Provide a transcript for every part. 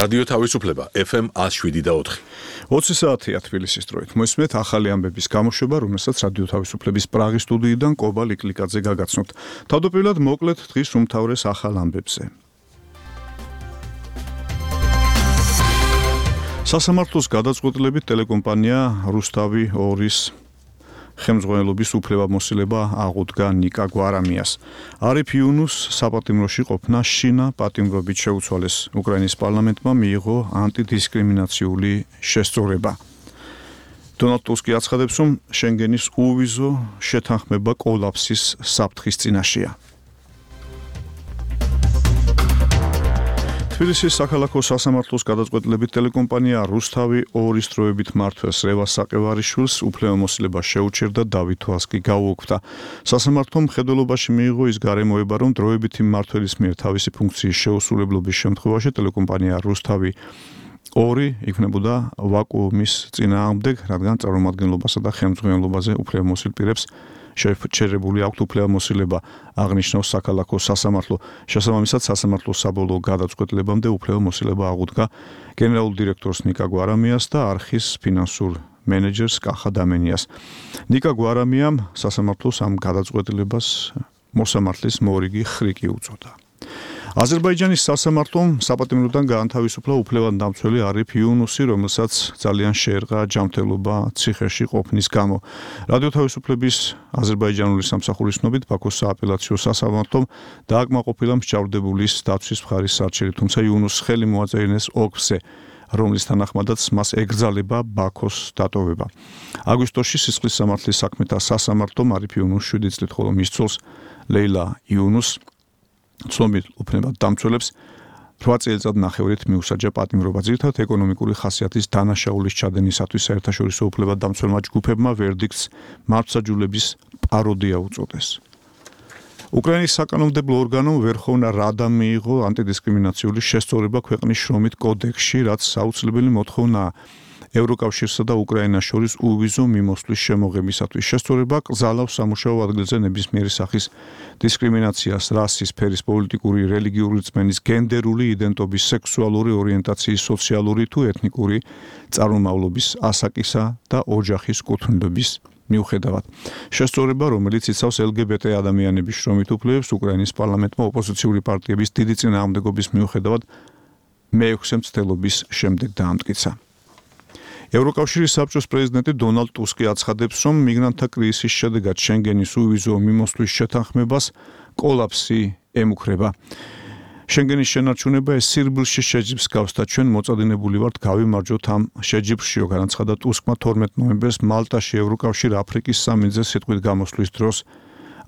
რადიო თავისუფლება FM 107.4. 20 საათია თბილისის დროით. Მოისმენთ ახალი ამბების გამოშვება, რომელსაც რადიო თავისუფლების პრაღის სტუდიიდან კობა ლიკლიკაძე გაგაცნობთ. თავდაპირველად მოკლედ დღის უმთავრეს ახალ ამბებზე. სასამართლოს გადაწყვეტილებით ტელეკომპანია რუსთავი 2-ის ხელმძღვანელობის უფლებამოსილება აღუდგა ნიკა გვარამიას. არიფ იუნუს საპატიმროში ყოფნა შინა პატიმრობით შეუცვალეს. უკრაინის პარლამენტმა მიიღო ანტიდისკრიმინაციული შესწორება. დონალდ ტუსკი აცხადებს, რომ შენგენის უვიზო შეთანხმება კოლაფსის საფრთხის წინაშეა. თბილისის საქალაქო სასამართლოს გადაწყვეტილებით ტელეკომპანია რუსთავი 2-ის დროებით მმართველს რევას საყევარიშვილს უფლებამოსილება შეუჩერდა დავით თვალსკი გაუოქმდა. სასამართლომ მხედველობაში მიიღო ის გარემოება, რომ დროებითი მმართველის მიერ თავისი ფუნქციის შეუსრულებლობის შემთხვევაში ტელეკომპანია რუსთავი 2 იქნებოდა ვაკუუმის წინააღმდეგ, რადგან წარმომადგენლობასა და ხელმძღვანელობაზე უფლებამოსილ პირებს შეჩერებული აქვთ უფლებამოსილება, აღნიშნავს საქალაქო სასამართლო. შესაბამისად, სასამართლოს საბოლოო გადაწყვეტილებამდე უფლებამოსილება აღუდგა გენერალურ დირექტორს ნიკა გვარამიას და არხის ფინანსურ მენეჯერს კახა დამენიას. ნიკა გვარამიამ სასამართლოს ამ გადაწყვეტილებას მოსამართლის მორიგი ხრიკი უწოდა. აზერბაიჯანის სასამართლომ საპატიმროდან გაანთავისუფლა უფლებადამცველი არიფ იუნუსი, რომელსაც ძალიან შეერყა ჯანმრთელობა ციხეში ყოფნის გამო. რადიო თავისუფლების აზერბაიჯანული სამსახურის ცნობით ბაქოს სააპელაციო სასამართლომ დააკმაყოფილა მსჯავრდებულის დაცვის მხარის არჩევი, თუმცა იუნუსს ხელი მოაწერინეს ოლქზე, რომლის თანახმადაც მას ეკრძალება ბაქოს დატოვება. აგვისტოში სისხლის სამართლის საქმეთა სასამართლომ არიფ იუნუსს 7 წლით, ხოლო მის ცოლს ლეილა იუნუსს ცნობილ უფლებადამცველებს 8 წელიწად ნახევრით მიუსაჯა პატიმრობა. ძირითადად ეკონომიკური ხასიათის დანაშაულის ჩადენისათვის საერთაშორისო უფლებადამცველმა ჯგუფებმა ვერდიქტს მართლმსაჯულების პაროდია უწოდეს. უკრაინის საკანონმდებლო ორგანომ ვერხოვნა რადამ მიიღო ანტიდისკრიმინაციული შესწორება ქვეყნის შრომით კოდექსში, რაც საუცლებელი მოთხოვნაა ევროკავშირსა და უკრაინას შორის უვიზო მიმოსვლის შემოღებისათვის. შესწორება კრძალავს სამუშაო ადგილზე ნებისმიერი სახის დისკრიმინაციას, რასის, ფერის, პოლიტიკური, რელიგიური რწმენის, გენდერული იდენტობის, სექსუალური ორიენტაციის, სოციალური თუ ეთნიკური წარმომავლობის, ასაკისა და ოჯახის კუთვნილების მიუხედავად. შესწორება, რომელიც იცავს LGBT ადამიანების შრომით უფლებებს, უკრაინის პარლამენტმა ოპოზიციური პარტიების დიდი წინააღმდეგობის მიუხედავად მე-6 მცდელობის შემდეგ დაამტკიცა. ევროკავშირის საბჭოს პრეზიდენტი დონალდ ტუსკი აცხადებს, რომ მიგრანტთა კრიზისის შედეგად შენგენის უვიზო მიმოსვლის შეთანხმებას კოლაფსი ემუქრება. შენგენის შენარჩუნება ეს სირბილში შეჯიბს გავს და ჩვენ მოწადინებული ვართ გავიმარჯვოთ ამ შეჯიბრშიო, განაცხადა ტუსკმა 12 ნოემბერს მალტაში ევროკავშირ აფრიკის სამინძეს სიტყვით გამოსვლის დროს.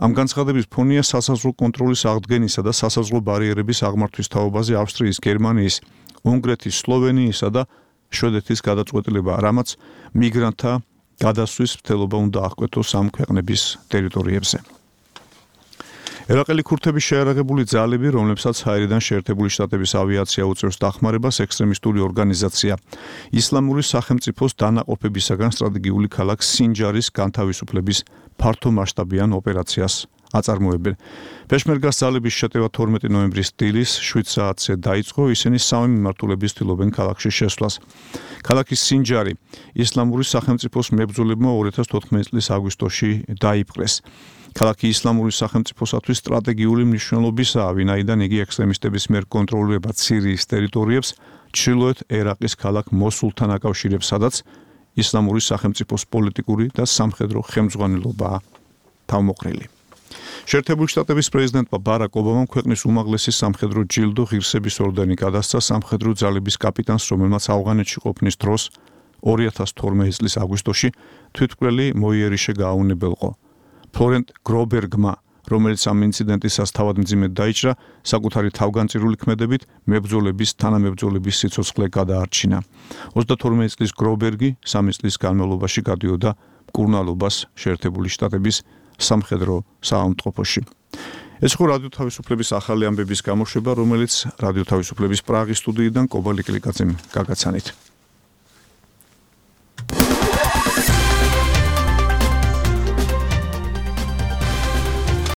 ამ განცხადების ფონია სასაზღვრო კონტროლის აღდგენისა და სასაზღვრო ბარიერების აღმართვის თაობაზე ავსტრიის, გერმანიის, უნგრეთის, სლოვენიისა და შვედეთის გადაწყვეტილება, რამაც მიგრანტთა გადასვლის მცდელობა უნდა აღკვეთოს ამ ქვეყნების ტერიტორიებზე. ერაყელი ქურთების შეიარაღებული ძალები, რომლებსაც ჰაერიდან შეერთებული შტატების ავიაცია უწევს დახმარებას, ექსტრემისტული ორგანიზაცია ისლამური სახელმწიფოს დანაყოფებისაგან სტრატეგიული ქალაქ სინჯარის განთავისუფლების ფართომასშტაბიან ოპერაციას აწარმოებენ. პეშმერგას ძალების შეტევა 12 ნოემბრის დილის 7 საათზე დაიწყო, ისინი სამი მიმართულებით ცდილობენ ქალაქში შესვლას. ქალაქის სინჯარი ისლამური სახელმწიფოს მებრძოლებმა 2014 წლის აგვისტოში დაიპყრეს. ქალაქი ისლამური სახელმწიფოსათვის სტრატეგიული მნიშვნელობისაა, ვინაიდან იგი ექსტრემისტების მიერ კონტროლირება სირიის ტერიტორიებს, ჩრდილოეთ ერაყის ქალაქ მოსულთან აკავშირებს, სადაც ისლამური სახელმწიფოს პოლიტიკური და სამხედრო ხელმძღვანელობაა თავმოყრილი. შეერთებული შტატების პრეზიდენტმა ბარაკ ობამამ ქვეყნის უმაღლესი სამხედრო ჯილდო ღირსების ორდენი გადასცა სამხედრო ძალების კაპიტანს, რომელმაც ავღანეთში ყოფნის დროს 2012 წლის აგვისტოში თვითმკვლელი მოიერიშე გააუნებელყო. ფლორენტ გრობერგმა, რომელიც ამ ინციდენტისას თავად მძიმედ დაიჭრა, საკუთარი თავგანწირული ქმედებით მებრძოლების თანამებრძოლების სიცოცხლე გადაარჩინა. 32 წლის გრობერგი 3 წლის განმავლობაში გადიოდა მკურნალობას შეერთებული შტატების სამხედრო საავადმყოფოში. ეს იყო რადიო თავისუფლების ახალი ამბების გამოშვება, რომელიც რადიო თავისუფლების პრაღის სტუდიიდან კობა ლიკლიკაძემ გაგაცანით.